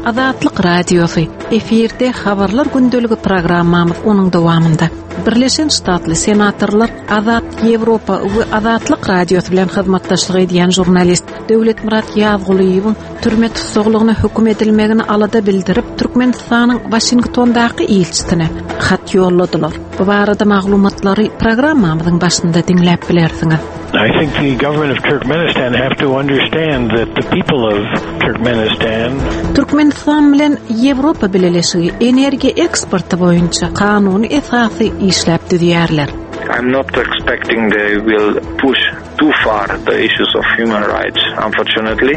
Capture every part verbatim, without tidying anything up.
Azatlyk Radiosy efirde habarlar gündeligi programmamyz onuň dowamynda. Birleşen Ştatly senatorlar Azat Ýewropa we Azatlyk Radiosy bilen hyzmatdaşlyk edýän žurnalist Döwletmyrat Ýazgulyýewiň türme tussaglygyna höküm edilmegini alada bildirip, Türkmenistanyň Waşingtondaky ilçisine hat ýolladylar. Bu barada maglumatlary programmamyzyň başynda diňläp bilersiňiz. I think the government of Turkmenistan have to understand that the people of Turkmenistan Türkmenistan bilen Ýewropa Bileleşigi energiýa eksporty boýunça kanuny esasy işläp düzýärler. I'm not expecting they will push too far the issues of human rights, unfortunately.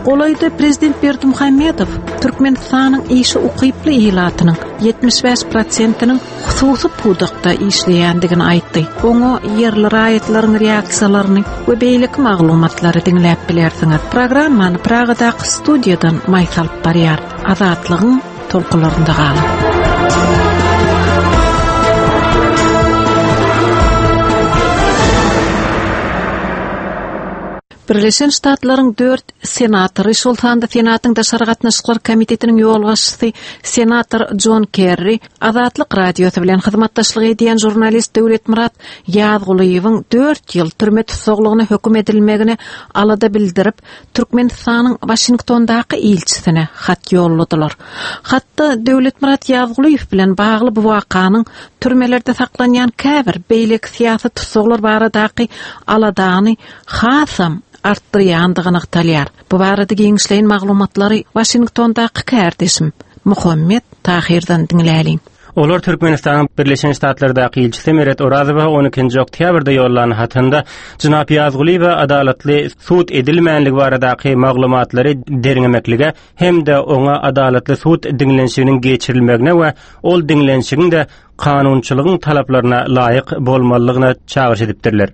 Golaýda Prezident Berdimuhamedow Türkmenistanyň işe ukyply ilatynyň ýetmiş bäş prosentiniň hususy pudakda işleýändigini aýtdy. Oňa ýerli raýatlaryň reaksiýalaryny we beýleki maglumatlary diňläp bilersiňiz. Programmany Pragadaky studiýadan Maýsa alyp barýar. Azatlygyň tolkunlarynda galyň. Birleşen Ştatlaryň dört senatory, şol sanda Senatyň Daşary Gatnaşyklar Komitetiniň ýolbaşçysy senator John Kerry, Azatlyk Radiosy bilen hyzmatdaşlyk edýän žurnalist Döwletmyrat Ýazgulyýewiň dört ýyl türme tussaglygyna höküm edilmegine alada bildirip, Türkmenistanyň Waşingtondaky ilçisine hat ýolladylar. Hatda Döwletmyrat Ýazgulyýew bilen bagly bu wakanyň türmelerde saklanýan käbir beýleki syýasy tussaglar baradaky aladany hasam artdyrýandygy nygtalýar. Bu barada giňişleýin maglumatlary Waşingtondaky kärdeşim Muhammet Tahirden diňläliň. Olar Türkmenistanyň Birleşen Ştatlardaky ilçisi Meret Orazowa on ikinji oktýabrda ýollan hatynda Jenap Ýazgulyýewe adalatly sud edilmänligi baradaky maglumatlary derňemeklige hem-de oňa adalatly sud diňlenişiginiň geçirilmegine we ol diňlenişigiň de kanunçylygyň talaplaryna laýyk bolmalygyna çagyryş edipdirler.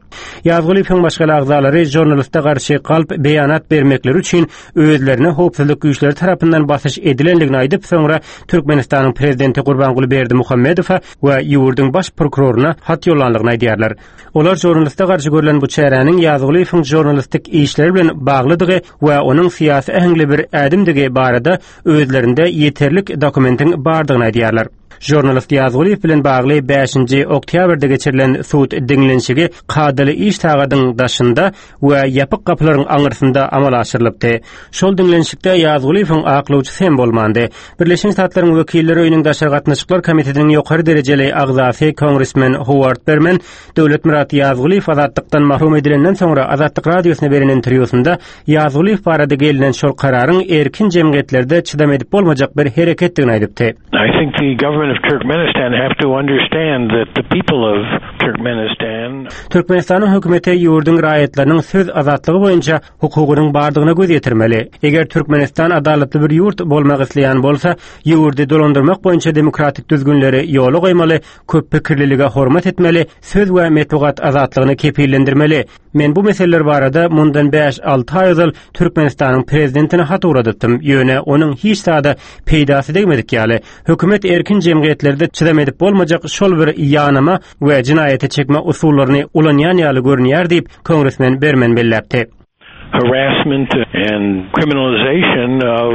Ýazgulyýewiň maşgala agzalary žurnaliste garşy galp beýanat bermekleri üçin özlerine howpsuzlyk güýçleri tarapyndan basyş edilendigini aýdyp, soňra Türkmenistanyň prezidenti Gurbanguly Berdimuhamedowa we ýurduň baş prokuroryna hat ýollanlygyny aýdýarlar. Olar žurnaliste garşy görlen bu çäräniň Ýazgulyýewiň žurnalistik işleri bilen baglydygy we onuň syýasy äheňli bir ädimdigi barada özlerinde ýeterlik dokumentiň bardygyny aýdýarlar. Žurnalist Ýazgulyýew bilen bagly bäşinji oktýabrda geçirilen sud diňlenişigi kadaly iş sagadyň daşynda we ýapyk gapylaryň aňyrsynda amala aşyrylypdy. Şol diňlenişikde Ýazgulyýewiň aklawçysy hem bolmandy. Birleşen Ştatlaryň wekilleri öýüniň Daşary Gatnaşyklar Komitetiniň ýokary derejeli agzasy Kongresmen Howard Berman Döwletmyrat Ýazgulyýew azatlykdan mahrum edilenden soňra Azatlyk Radiosyna beren interwýusynda Ýazgulyýew barada gelinen şol kararyň erkin jemgyýetlerde çydam edip bolmajak bir hereketdigini aýdypdy. I think the government of Turkmenistan have to understand that the people of Turkmenistan Türkmenistanyň hökümeti ýurduň raýatlarynyň söz azatlygy boýunça hukugynyň bardygyna göz ýetirmeli. Eger Türkmenistan adalatly bir ýurt bolmak isleýän bolsa, ýurdy dolandyrmak boýunça demokratik düzgünleri ýola goýmaly, köp pikirlilige hormat etmeli, söz we metbugat azatlygyny kepillendirmeli. Men bu meseleler barada mundan bäş alty aý ozal Türkmenistanyň prezidentine hat ugradypdym. Ýöne onuň hiç zada peýdasy degmedik ýaly. Hökümet erkin jemgyýetlerde çydam edip bolmajak şol bir ýanama we jinaýata çekme usullaryny ulanýan ýaly görünýär diýip Kongresmen Berman belläpdi. Harassment and criminalization of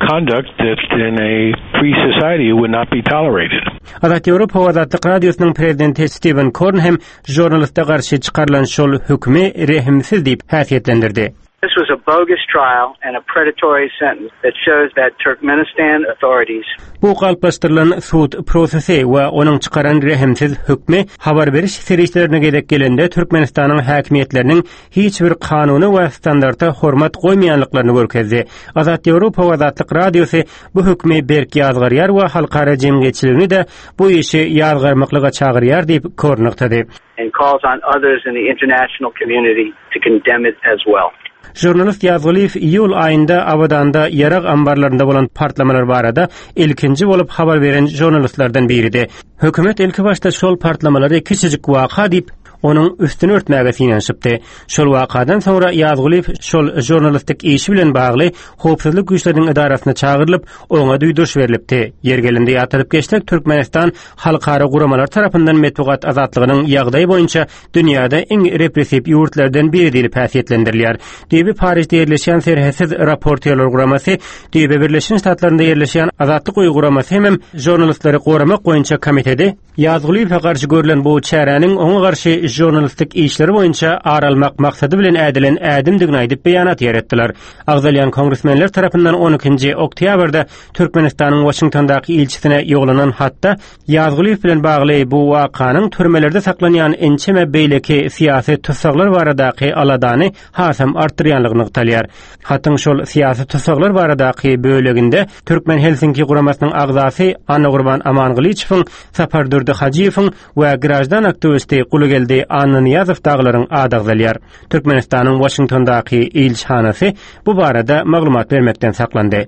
conduct that in a free society would not be tolerated. Azat Ýewropa Azatlyk Radiosynyň prezidenti Steven Korn hem žurnaliste garşy çykarylan şol hökümi rehimsiz diýip häsiýetlendirdi. This was a bogus trial and a predatory sentence that shows that Turkmenistan authorities Bu galplaşdyrylan sud prosesi we onuň çykaran rehimsiz hökmi habar beriş serişdelerine gezek gelende Türkmenistanyň häkimiýetleriniň hiç bir kanuny we standarta hormat goýmaýanlyklaryny görkezdi. Azat Ýewropa Azatlyk Radiosy bu hökmi berk ýazgarýar we halkara jemgyýetçiligini de bu işi ýazgarmaklyga çagyrýar diýip Korn nygtady. And calls on others in the international community to condemn it as well. Žurnalist Ýazgulyýew iýul aýynda Abadanda ýarag ambarlarynda bolan partlamalar barada ilkinji bolup habar beren žurnalistlerden biridi. Hökümet ilki başda şol partlamalary kiçijik waka diýip, onuň üstüni örtmäge synanyşypdy. Şol wakadan soňra Ýazgulyýew şol žurnalistik işi bilen bagly howpsuzlyk güýçleriniň edarasyna çagyrylyp, oňa duýduryş berlipdi. Ýer gelende ýatladyp geçsek, Türkmenistan halkara guramalar tarapyndan metbugat azatlygynyň ýagdaýy boýunça dünýäde iň repressiw ýurtlardan biri diýlip häsiýetlendirilýär. Düýbi Parisde ýerleşýän Serhetsiz raportýorlar guramasy, düýbi Birleşen Ştatlarynda ýerleşýän Azatlyk Öýi guramasy hemem žurnalistleri goramak boýunça komiteti Ýazgulyýewe garşy görülen bu çäräniň oňa garşy žurnalistik işleri boýunça ar almak maksady bilen ädilen ädimdigini aýdyp beýanat ýeretdiler. Agzalýan kongresmenler tarapyndan on ikinji oktýabrda Türkmenistanyň Waşingtondaky ilçisine ýollanan hatda Ýazgulyýew bilen bagly bu wakanyň türmelerde saklanýan ençeme beýleki syýasy tussaglar baradaky aladany hasam artdyrýanlygy nygtalýar. Hatyň şol syýasy tussaglar baradaky böleginde Türkmen Helsinki guramasynyň agzasy Annagurban Amangylyçowyň, Sapardurdy Hajyýewiň we grajdan aktiwisti Gulugeldi Annanyýazow daglaryň ady agzalýar. Türkmenistanyň Waşingtondaky ilçihanasy bu barada maglumat bermekden saklandy.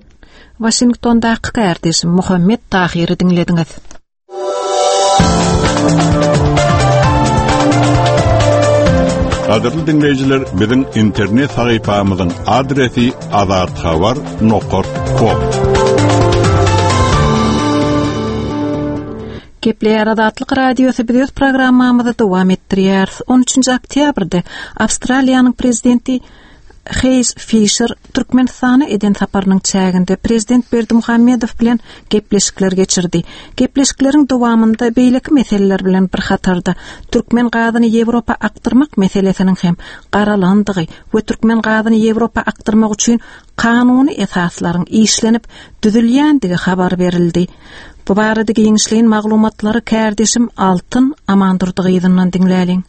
Waşingtondaky kardeşim Muhammet Tahyry diňlediňiz. Gadyrly dinleýjiler, biziň internet sahypamyzyň adresi azathabar nokta com. Gepleýär Azatlyk Radiosy biz öz programmamyzy dowam etdirýäris. on üçünji oktýabrda Awstraliýanyň prezidenti Hayes Fisher Türkmenistana eden saparynyň çäginde prezident Berdimuhamedow bilen gepleşikler geçirdi. Gepleşikleriň dowamynda beýleki meseleler bilen bir hatarda türkmen gazyny Ýewropa akdyrmak meselesiniň hem garalandygy we türkmen gazyny Ýewropa akdyrmak üçin kanuny esaslaryň işlenip düzülýändigi habar berildi. Bu barada giňişleýin maglumatlary kardeşim Altyn Amandurdy gyzyndan diňläliň.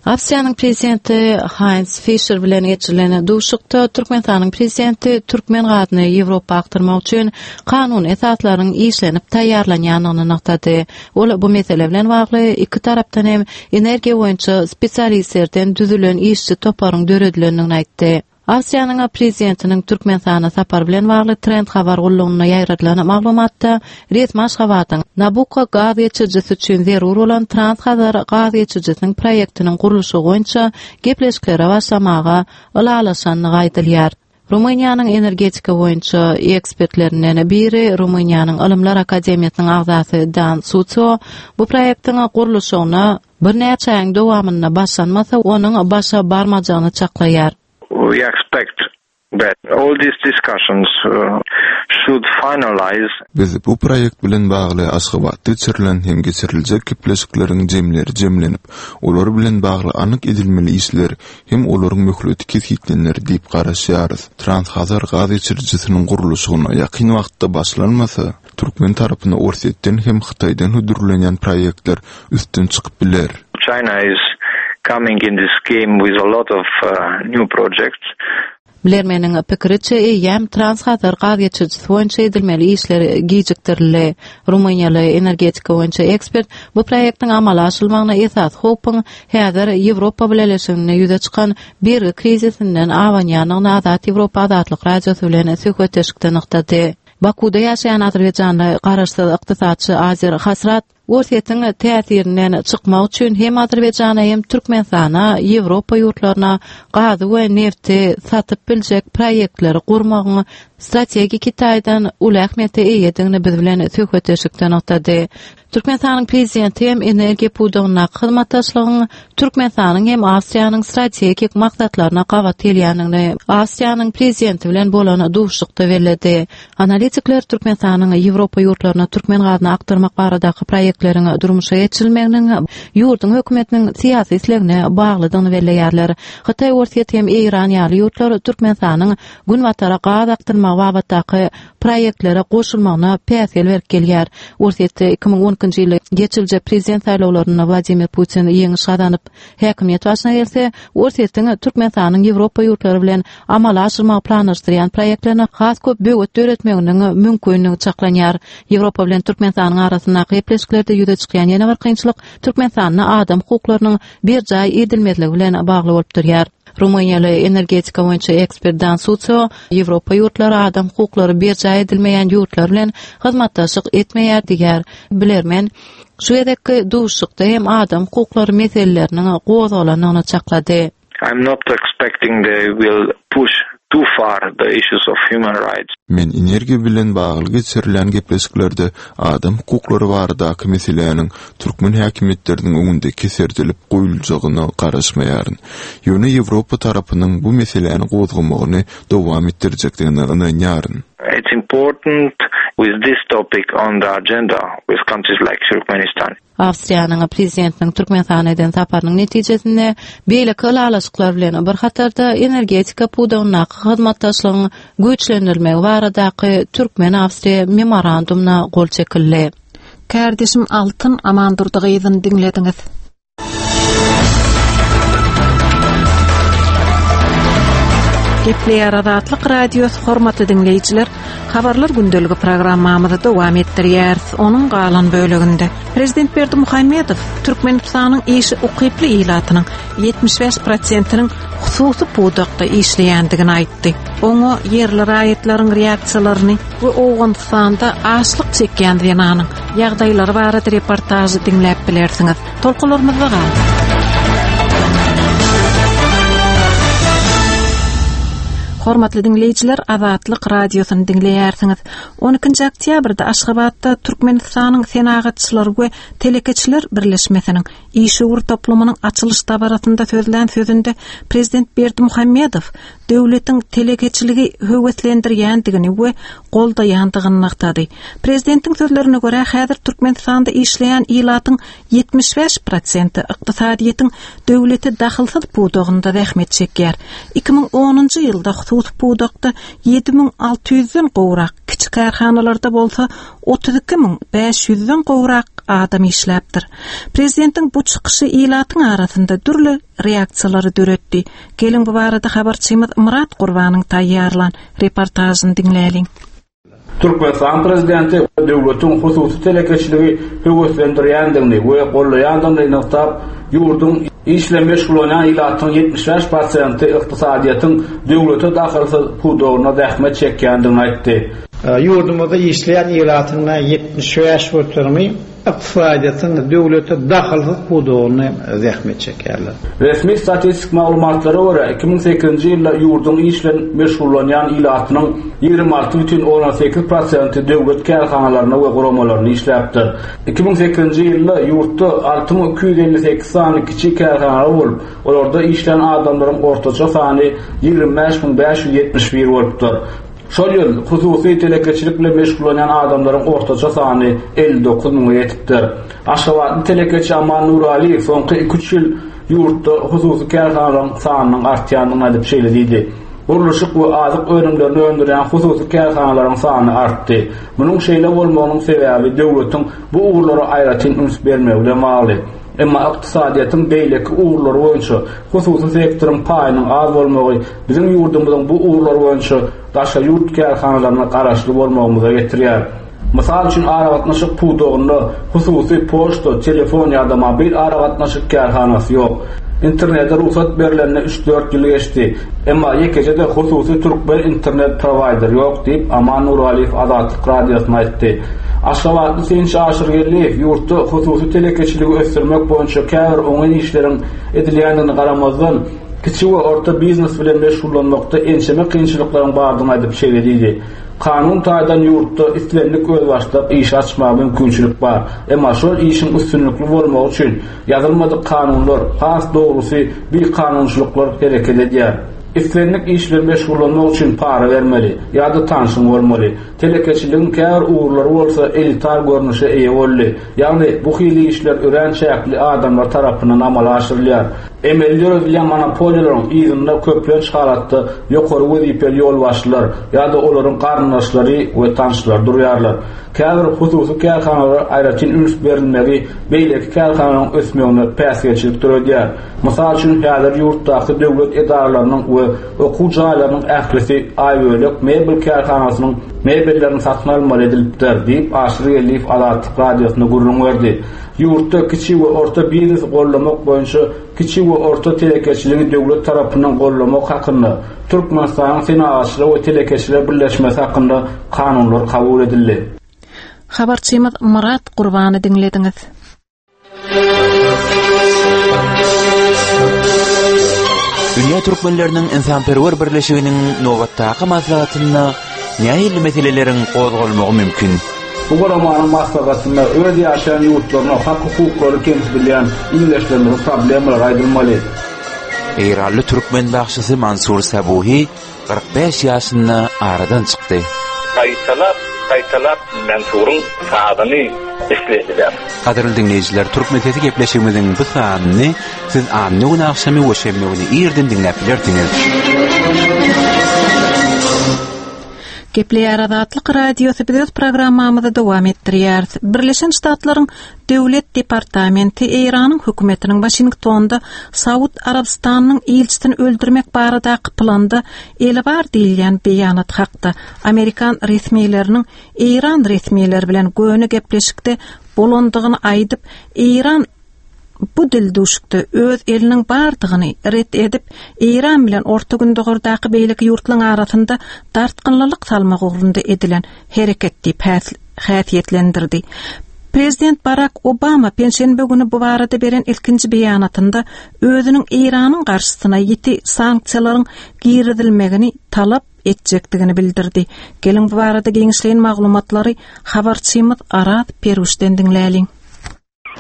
Awstriýanyň prezidenti Heinz Fischer bilen geçirilen duşuşykda Türkmenistanyň prezidenti türkmen gazyny Ýewropa akdyrmak üçin kanun esaslaryň işlenip taýýarlanýandygyny nygtady. Ol bu mesele bilen bagly iki tarapdan hem energiýa boýunça spesialistlerden düzülen işçi toparyň döredilendigini aýtdy. Awstriýanyň prezidentiniň Türkmenistana sapar bilen bagly Trend habar gullugyna ýaýradylan maglumatda resmi Aşgabadyň Nabucco gaz geçirijisi üçin zerur bolan Transhazar gaz geçirijisiniň proýektiniň gurluşy boýunça gepleşiklere başlamaga ylalaşandygy aýdylýar. Rumyniýanyň energetika boýunça ekspertlerinden biri Rumyniýanyň Ylymlar Akademiýasynyň agzasy Dan Sucio bu proýektiň gurluşygyna birnäçe aýyň dowamynda başlanmasa onuň başa barmajagyny çaklaýar. We expect that all these discussions uh, should finalize. Biz bu proýekt bilen bagly Aşgabatda geçirilen hem geçiriljek gepleşikleriň jemleri jemlenip, olar bilen bagly anyk edilmeli işler hem olaryň möhleti kesgitlenir diýip garaşýarys. Transhazar gaz geçirijisiniň gurluşygyna ýakyn wagtda başlanmasa, türkmen tarapyna Orsýetden hem Hytaýdan hödürlenýän proýektler üstün çykyp biler. China is coming in this game with a lot of uh, new projects. Bilermeniň pikiriçe eýýäm Transhazar gaz geçirijisi boýunça edilmeli işler gijikdirildi. Rumyniýaly energetika boýunça ekspert bu proýektiň amala aşyrylmagyna esas howpuň häzir Ýewropa Bileleşiginde ýüze çykan bergi krizisinden abanýandygyny Azat Ýewropa Azatlyk Radiosy bilen söhbetdeşlikde nygtady. Bakuda ýaşaýan Azerbaýjanly garaşsyz ykdysatçy Azer Hasrat Orsýetiň täsirinden çykmak üçin hem Azerbaýjana hem Türkmenistana, Ýewropa ýurtlaryna gazy we nefti satyp biljek proýektleri gurmagyň strategik taýdan uly ähmiýete eýedigini biz bilen söhbetdeşlikde nygtady. Türkmenistanyň prezidenti hem energiýa pudagyndaky hyzmatdaşlygyň Türkmenistanyň hem Awstriýanyň strategik maksatlaryna gabat gelýändigini Awstriýanyň prezidenti bilen bolan duşuşykda belledi. Analitikler Türkmenistanyň Ýewropa ýurtlaryna türkmen gazyny akdyrmak baradaky proýektleriň durmuşa geçirilmeginiň ýurduň hökümetiniň syýasy islegine baglydygyny belleýärler. Hytaý, Orsýet hem Eýran ýaly ýurtlar Türkmenistanyň günbatara gaz akdyrmagy babatdaky proýektlere goşulmagyna päsgel berip gelýär. Orsýetde iki müň on ikinji ýylda geçiriljek prezident saýlawlarynda Wladimir Putin ýeňiş gazanyp, häkimiýet başyna gelse, Orsýetiň Türkmenistanyň Ýewropa ýurtlary bilen amala aşyrmagy planlaşdyrýan proýektlerine has köp böwet döretmeginiň mümkinligi çaklanýar. Ýewropa bilen Türkmenistanyň arasyndaky gepleşiklerde ýüze çykýan ýene bir kynçylyk Türkmenistanda adam hukuklarynyň berjaý edilmezligi bilen bagly bolup durýar. Rumyniýaly energetika boýunça ekspert Dan Sucio Ýewropa ýurtlary adam hukuklary berjaý edilmeýän ýurtlar bilen hyzmatdaşlyk etmeýär diýär. Bilermen şu gezekki duşuşykda hem adam hukuklary meseleleriniň gozgalanyny çaklady. I'm not expecting they will push too far the issues of human rights. Men energiýa bilen bagly geçirilen gepleşiklerde adam hukuklary baradaky meseläniň türkmen häkimiýetleriniň öňünde keserdilip goýuljagyna garaşmaýaryn. Ýöne Ýewropa tarapynyň bu meseläni gozgamagyny dowam etdirjekdigine ynanýaryn. It's important with this topic on the agenda with countries like Turkmenistan. Awstriýanyň prezidentiniň Türkmenistana eden saparynyň netijesinde beýleki ylalaşyklar bilen bir hatarda energetika pudagyndaky hyzmatdaşlygyň güýçlendirilmegi baradaky Türkmen-Awstriýa memorandumyna gol çekildi. Kardeşim Altyn Amandurdy gyzyny diňlediňiz. Gepleýär Azatlyk Radiosy hormatly diňleýjiler, habarlar gündeligi programmamyzy dowam etdirýäris. Onuň galan böleginde Prezident Berdimuhamedow Türkmenistanyň işi ukyply ilatynyň ýetmiş bäş prosentiniň hususy pudakda işleýändigini aýtdy. Oňa ýerli raýatlaryň reaksiýalaryny we Owganystanda açlyk çekýän zenanyň ýagdaýlary barada reportažy diňläp bilersiňiz. Tolkunlarymyzda galyň. Hormatly diňleýjiler, Azatlyk radiosyny diňleýärsiňiz. on ikinji oktýabrda Aşgabatda Türkmenistanyň Senagatçylar we Telekeçiler Birleşmesiniň işewür toplumynyň açylyş dabarasynda sözlän sözünde Prezident Berdimuhamedow döwletiň telekeçiligi höweslendirýändigini we goldaýandygyny nygtady. Prezidentiň sözlerine görä, häzir Türkmenistanda işleýän ilatyň ýetmiş bäş prosenti ykdysadyýetiň döwlete dahylsyz pudagynda zähmet çekýär. iki müň onunjy ýylda hususy pudakda ýedi müň alty ýüzden gowrak, kiçi kärhanalarda bolsa otuz iki müň bäş ýüzden gowrak adam işläpdir. Prezidentiň bu çykyşy ilatyň arasynda dürli reaksiýalary döretdi. Gelin bu barada habarçymyz Murat Gurbanyň taýýarlan reportažyny diňläliň. Türkmenistan prezidenti döwletiň hususy telekeçiligi höweslendirýändigini we gollaýandygyny nygtap, ýurduň işle meşgullanýan ilatyň ýetmiş bäş prosenti ykdysadyýetiň döwlete dahylsyz pudagyna zähmet çekýändigini aýtdy. Ýurdumyzda işleýän ilatyň ýetmiş bäş göterimi ykdysadyýetiň döwlete dahylsyz pudagyna zähmet çekýärler. Resmi statistik maglumatlara görä iki müň sekizinji ýylda ýurduň işle meşgullanýan ilatynyň ýigrimi alty bütin ondan sekiz prosenti döwlet kärhanalarynda we guramalarynda işläpdir. iki müň sekizinji ýylda ýurtda alty müň iki ýüz elli sekiz sany kiçi kärhanalar bolup, olarda işlän adamlaryň ortaça sany ýigrimi bäş müň bäş ýüz ýetmiş bir bolupdyr. Şol ýyl hususy telekeçilik bilen meşgullanýan adamlaryň ortaça sany elli dokuz müňe ýetipdir. Aşgabatly telekeçi Aman Nuraliýew soňky iki üç ýyl ýurtda hususy kärhanalaryň sanynyň artýandygyny aýdyp şeýle diýdi. Gurluşyk we azyk önümlerini öndürýän hususy kärhanalaryň sany artdy. Munuň şeýle bolmagynyň sebäbi döwletiň bu ugurlara aýratyn üns bermegi bilen bagly. Emma ykdysadyýetiň beýleki ugurlary boýunça hususy sektoryň paýynyň az bolmagy biziň ýurdumyzyň bu ugurlar boýunça daşary ýurt kärhanalaryna garaşly bolmagymyza getirýär. Mysal üçin aragatnaşyk pudagynda hususy poçta, telefon ýa-da mobil aragatnaşyk kärhanasy ýok. Internete rugsat berilenine üç dört ýyl geçdi. Emma ýekeje-de hususy türkmen internet prowaýder ýok diýip Aman Nuraliýew Azatlyk radiosyna aýtdy. Aşgabatly synçy Aşyr Geldiýew ýurtda hususy telekeçiligi ösdürmek boýunça käbir oňyn işleriň edilýändigini garamazdan, kiçi we orta biznes bilen meşgullanmakda ençeme kynçylyklaryň bardygyny aýdyp şeýle diýdi. Kanun taýdan ýurtda islendik özbaşdak iş açmaga mümkinçilik bar. Emma şol işiň üstünlikli bolmagy üçin ýazylmadyk kanunlar, has dogrusy bir kanunçylyklar hereket edýär. Islendik iş bilen meşgullanmak üçin para bermeli ýa-da tanşyň bolmaly. Telekeçiligiň käbir ugurlary bolsa elitar görnüşe eýe boldy. Ýagny bu hili işler örän çäkli adamlar tarapyndan amala aşyrylýar. Emeli döredilýän monopoliýalaryň yzynda köplenç halatda ýokary wezipeli ýolbaşçylar ýa-da olaryň garyndaşlary we tanşlary durýarlar. Käbir hususy kärhanalara aýratyn üns berilmegi beýleki kärhanalaryň ösmegine päsgelçilik döredýär. Mysal üçin, häzir ýurtdaky döwlet edaralarynyň we okuw jaýlarynyň ählisi Aýbölek mebel kärhanasynyň mebellerini satyn almaly edilipdir diýip Aşyr Geldiýew Azatlyk Radiosyna gürrüň berdi. Ýurtda kiçi we orta biznesi gollamak boýunça kiçi we orta telekeçiligi döwlet tarapyndan gollamak hakynda Türkmenistanyň Senagatçylar we telekeçiler birleşmesi hakynda kanunlar kabul edildi. Habarçymyz Murat Gurbany diňlediňiz. Dünýä türkmenleriniň insanperwer birleşiginiň nobatdaky maslahatynda nähili meseleleriň gozgalmagy mümkin? Bu guramanyň maslahatynda öz ýaşaýan ýurtlaryna hak hukuklary kemsidilýän ildeşlerimiziň problemalary aýdylmaly. Eýranly türkmen bagşysy Mansur Sabuhi kyrk bäş ýaşynda aradan çykdy. Gaýtalap, gaýtalap Mansuryň sazyny islediler. Gadyrly dinleýjiler, Türkmen sesi gepleşigimiziň bu sanyny siz anna gün agşamy we şenbe güni irden diňläp bilersiňiz. Gepleýär Azatlyk Radiosy biz öz programmamyzy dowam etdirýäris. Birleşen Ştatlaryň Döwlet Departamenti Eýranyň hökümetiniň Waşingtonda Saud Arabystanynyň ilçisini öldürmek baradaky planda eli bar diýilýän beýanat hakda Amerikan resmileriniň Eýran resmileri bilen göni gepleşikde bolandygyny aýdyp, Eýran bu dildüşükde öz eliniň bardygyny ret edip, Eýran bilen Orta Gündogardaky beýleki ýurtlaryň arasynda dartgynlylyk salmak ugrunda edilen hereket diýip häsiýetlendirdi. Prezident Barack Obama penşenbe günü bu barada beren ilkinji beýanatynda özüniň Eýranyň garşysyna ýiti sanksiýalaryň girizilmegini talap etjekdigini bildirdi. Geliň bu barada giňişleýin maglumatlary habarçymyz Araz Peruşden diňläliň.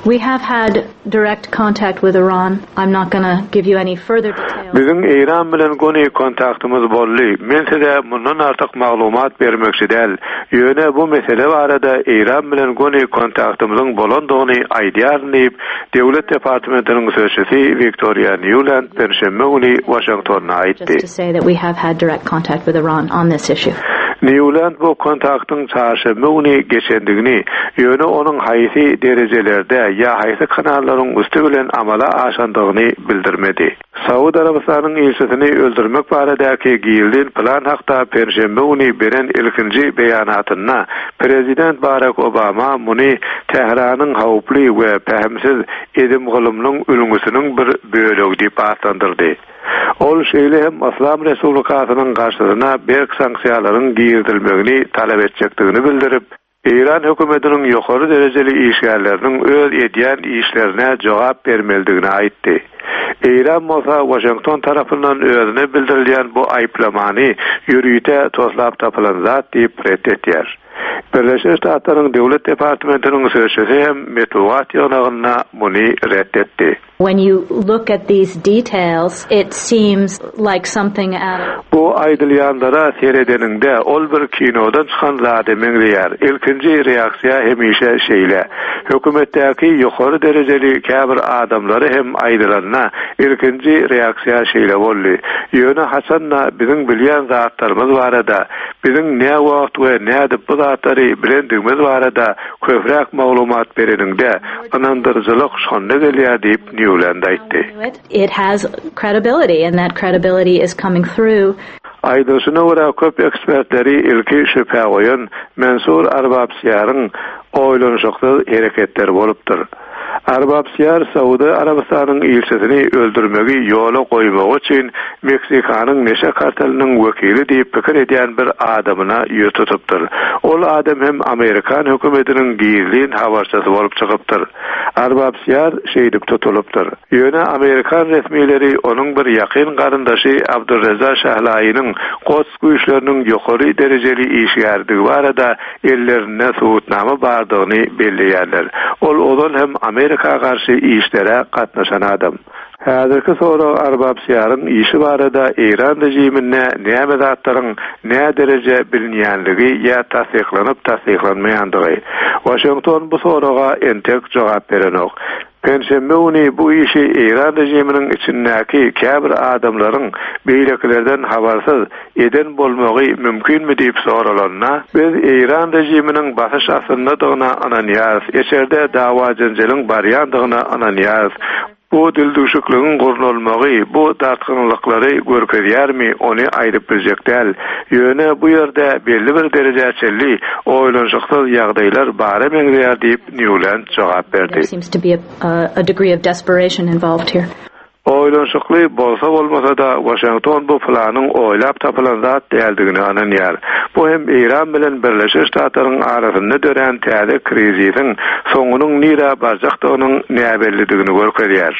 We have had direct contact with Iran. I'm not gonna give you any further details. Biziň Eýran bilen göni kontaktymyz boldy. Men size mundan artyk maglumat bermekçi däl. Ýöne bu mesele barada Eýran bilen göni kontaktymyzyň bolandygyny aýdýaryn diýip, Döwlet Departamentiniň sözçüsi Victoria Nuland penşenbe güni Waşingtonda aýtdy. Just to say that we have had direct contact with Iran on this issue. Nuland bu kontaktyň çarşenbe güni geçendigini, ýöne onuň haýsy derejelerde ýa haýsy kanallaryň üsti bilen amala aşandygyny bildirmedi. Saud Arabystanyň ilçisini öldürmek baradaky gizlin plan hakda penşenbe güni beren ilkinji beýanatynda Prezident Barack Obama muny Tähranyň howply we pähimsiz edim-gylymynyň ülňüsiniň bir bölegi diýip atlandyrdy. Ol şeýle hem Islam Respublikasynyň garşysyna berk sanksiýalaryň girizilmegini talap etjekdigini bildirip, Eýran hökümetiniň ýokary derejeli işgärleriniň öz edýän işlerine jogap bermelidigini aýtdy. Eýran bolsa Waşington tarapyndan özüne bildirilýän bu aýyplamany ýörite toslap tapylan zat diýip ret etýär. Birleşen Ştatlaryň Döwlet Departamentiniň sözçüsi hem metbugat ýygnagynda muny ret etdi. When you look at these details, it seems like something out of Bu aýdylýanlara seredeniňde ol bir kinodan çykan zada meňzeýär. Ilkinji reaksiýa hemişe şeýle. Hökümetdäki ýokary derejeli käbir adamlary hem aýdylanda ilkinji reaksiýa şeýle boldy. Ýöne haçanda biziň bilýän zatlarymyz barada, biziň näme wagt we nädip bu zatlary bilendigimiz barada köpräk maglumat bereniňde ynandyryjylyk şonda gelýär diýip Nuland aýtdy. It has credibility and that credibility is coming through. Aýdylyşyna görä köp ekspertleri ilki şübhä goýan Mansur Arbabsiýaryň oýlanyşyksyz hereketleri bolupdyr. Arbabsiýar Saudi Arabystanyň ilçisini öldürmegi ýola goýmak üçin Meksikanyň neşe karteliniň wekili diýip pikir edýän bir adamyna ýüz tutupdyr. Ol adam hem Amerikan hökümetiniň gizlin habarçysy bolup çykypdyr. Arbabsiýar şeýdip tutulypdyr. Ýöne Amerikan resmileri onuň bir ýakyn garyndaşy Abdurreza Şahlaýynyň Quds güýçleriniň ýokary derejeli işgärdigi barada ellerinde subutnama bardygyny belleýärler. Ol ozal hem Amerika garşy işlere gatnaşan adam. Häzirki sorag Arbabsiýaryň işi barada Eýran rejiminde näme zatlaryň nä dereje bilinýänligi ýa tassyklanyp tassyklanmaýandygy. Waşington bu soraga entek jogap berenok. Penşenbe güni bu işi Eýran rejiminiň içindäki käbir adamlaryň beýlekilerden habarsyz eden bolmagy mümkinmi diýip soralanda, biz Eýran rejiminiň basyş astyndadygyna ynanýarys, içerde dawa-jenjeliň barýandygyna ynanýarys. Bu dildüwşükligiň gurnalmagy bu dartgynlyklary görkezýärmi, ony aýdyp biljek däl. Ýöne bu ýerde belli bir derejä çenli oýlanyşyksyz ýagdaýlar bara meňzeýär diýip Newland jogap berdi. There seems to be a, a, a degree of desperation involved here. Oýlanyşykly bolsa bolmasa-da Waşington bu planyň oýlap tapylan zat däldigini ynanýar. Bu hem Eýran bilen Birleşen Ştatlaryň arasynda dörän täze krizisiň soňunyň nirä barjakdygynyň näbellidigini görkezýär.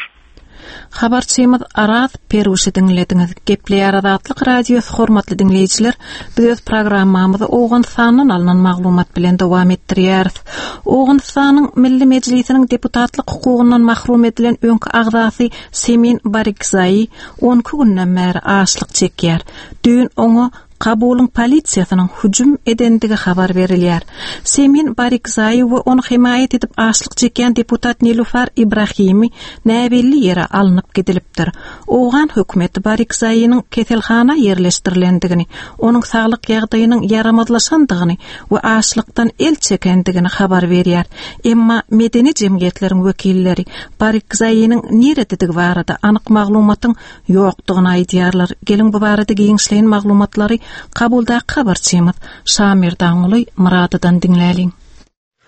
Habarçymyz Araz Peruşy diňlediňiz. Gepleýär Azatlyk Radiosy hormatly diňleýjiler, biz öz programmamyzy Owganystandan alnan maglumat bilen dowam etdirýäris. Owganystanyň Milli Mejlisiniň deputatlyk hukugyndan mahrum edilen öňki agzasy Semin Barikzai on iki günden bäri açlyk çekýär. Düýn oňa Kabulyň polisiýasynyň hüjüm edendigi habar berilýär. Semin Barikzai we ony himaýat edip açlyk çekýän deputat Nilufar Ibrahimi näbelli ýere alnyp gidilipdir. Owgan hökümeti Barikzainiň keselhana ýerleşdirilendigini, onuň saglyk ýagdaýynyň ýaramazlaşandygyny we açlykdan el çekendigini habar berýär. Emma medeni jemgyýetleriň wekilleri Barikzainiň nirededigi barada anyk maglumatyň ýokdugyny aýdýarlar. Geliň bu barada giňişleýin maglumatlary Kabuldaky habarçymyz Şamir Danguly Myradydan diňläliň.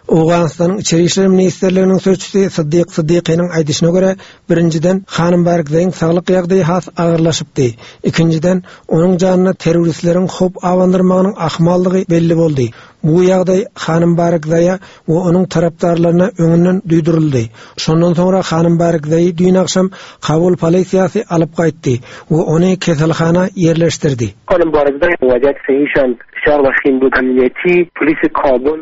Owganystanyň Içeri işler ministrliginiň sözçüsi Siddiq Siddiqiniň aýdyşyna görä, birinjiden Hanym Barikzaýyň saglyk ýagdaýy has agyrlaşypdy. Ikinjiden, onuň janyna terroristleriň howp abandyrmagynyň ahmallygy belli boldy. Bu ýagdaý Hanym Barikzaýa we onuň tarapdarlaryna öňünden duýduryldy. Şondan soňra Hanym Barikzaýy düýn agşam Kabul polisiýasy alyp gaýtdy we ony keselhana ýerleşdirdi. Hanym Barikzaý waziyat sahişan şar vahim bud amniyeti polisi Kabul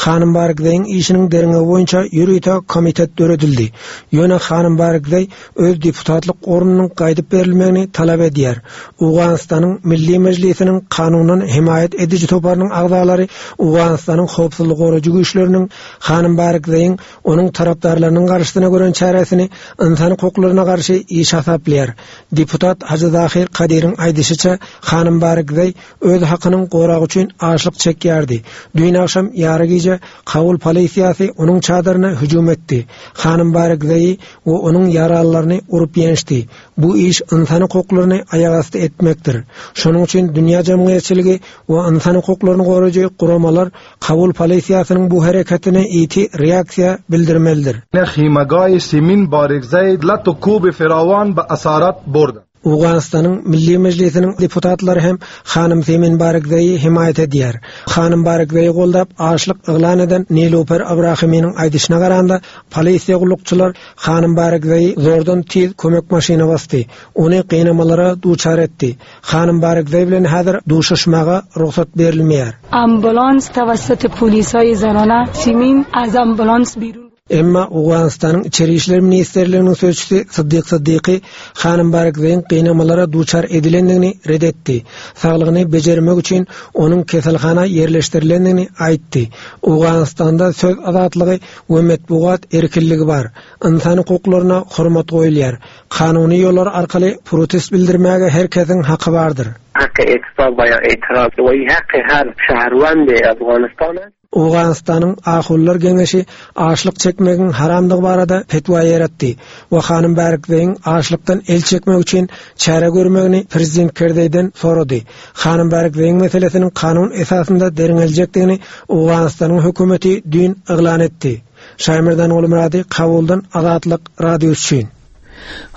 Hanym Barikzaýyň işiniň derňewi boýunça ýörite komitet döredildi. Ýöne Hanym Barikzaý öz deputatlyk ornunyň gaýdyp berilmegini talap edýär. Owganystanyň Milli Mejlisiniň kanundan himaýat ediji toparynyň agzalary Owganystanyň howpsuzlyk goraýjy güýçleriniň Hanym Barikzaýyň onuň tarapdarlarynyň garşysyna gören çäresini ynsan hukuklaryna garşy iş hasaplaýar. Deputat Hajy Zahir Kadiriň aýdyşyça Hanym Barikzaý öz hakynyň goragy üçin açlyk çekýärdi. Düýn agşam ýary gije Kabul polisiýasy onuň çadyryna hüjüm etdi. Hanym Barikzaýy we onuň ýaralylaryny urup ýençdi. Bu iş ynsan hukuklaryny aýagasty etmekdir. Şonuň üçin dünýä jemgyýetçiligi we ynsan hukuklaryny goraýjy guramalar Kabul polisiýasynyň bu hereketine ýiti reaksiýa bildirmelidir. خیمگاه سیمین بارکزی لط و کوب فراوان به اسارت برد. Owganystanyň Milli Mejlisiniň deputatlary hem Hanym Semin Barikzaýy himaýat edýär. Hanym Barikzaýy goldap açlyk yglan eden Nilufer Ibrahiminiň aýdyşyna garanda polisiýa gullukçylar Hanym Barikzaýy zordan tiz kömek maşyna basdy. Ony gynamalara duçar etdi. Hanym Barikzaý bilen häzir duşuşmaga rugsat berilmeýär. Ambulans توسط پلیسای زنانه سیمین از ambulans بیرون Emma Owganystanyň Içeri işler ministrliginiň sözçüsi Siddiq Siddiqi Hanym Barikzaýyň gynamalara duçar edilendigini red etdi. Saglygyny bejermek üçin onuň keselhana ýerleşdirilendigini aýtdy. Owganystanda söz azatlygy we metbugat erkinligi bar. Ynsan hukuklaryna hormat goýulýar. Kanuny ýollar arkaly protest bildirmäge her kesiň haky bardyr. حق اعتصاب و یا اعتراض و این حق هر شهروند افغانستان است. Owganystanyň Ahullar Geňeşi açlyk çekmegiň haramdygy barada fetwa ýeretdi we Hanym Barikzaýyň açlykdan el çekmek üçin çäre görmegini prezident Kerdeýden sorady. Hanym Barikzaýyň meselesiniň kanun esasynda derňeljekdigini Owganystanyň hökümeti düýn yglan etdi. Şaýmerdan Gulmyrady Kabuldan Azatlyk Radiosy üçin.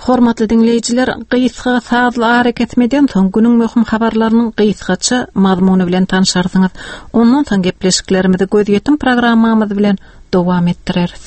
Hormatly diňleýjiler, gysga sazly arakesmeden soň günüň möhüm habarlarynyň gysgaça mazmuny bilen tanşarsyňyz. Ondan soň gepleşiklerimizi gözýetim programmamyz bilen dowam etdireris.